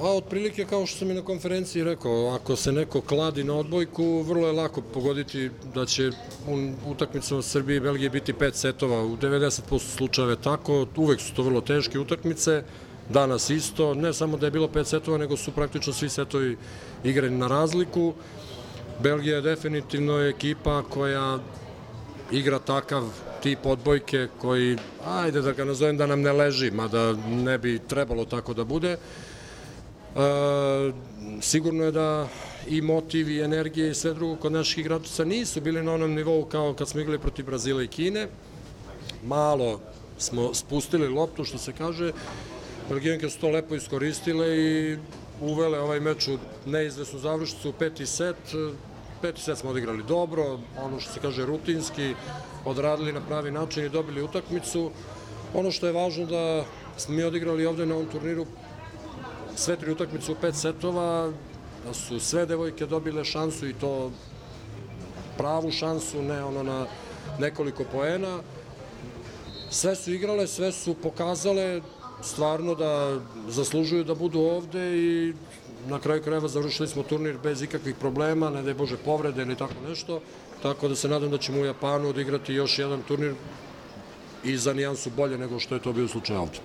Otprilike kao što sam i na konferenciji rekao, ako se neko kladi na odbojku, vrlo je lako pogoditi da će utakmicama Srbije i Belgije biti 5 setova, u 90% slučajeva tako, uvek su to vrlo teške utakmice, danas isto, ne samo da je bilo 5 setova, nego su praktično svi setovi igrani na razliku. Belgija je definitivno ekipa koja igra takav tip odbojke koji, ajde da ga nazovem da nam ne leži, mada ne bi trebalo tako da bude. Sigurno je da i motiv i energije i sve drugo kod naših igrača nisu bili na onom nivou kao kad smo igrali protiv Brazila i Kine. Malo smo spustili loptu, što se kaže. Belgijanke su to lepo iskoristile i uvele ovaj meč u neizvesnu završnicu u peti set. Peti set smo odigrali dobro, ono što se kaže rutinski, odradili na pravi način i dobili utakmicu. Ono što je važno da smo mi odigrali ovde na ovom turniru sve 3 utakmice u 5 setova, da su sve devojke dobile šansu i to pravu šansu, ne ono na nekoliko poena. Sve su igrale, sve su pokazale stvarno da zaslužuju da budu ovde i na kraju krajeva završili smo turnir bez ikakvih problema, ne daj Bože povrede ili tako nešto, tako da se nadam da ćemo u Japanu odigrati još jedan turnir i za nijansu bolje nego što je to bio slučaj ovde.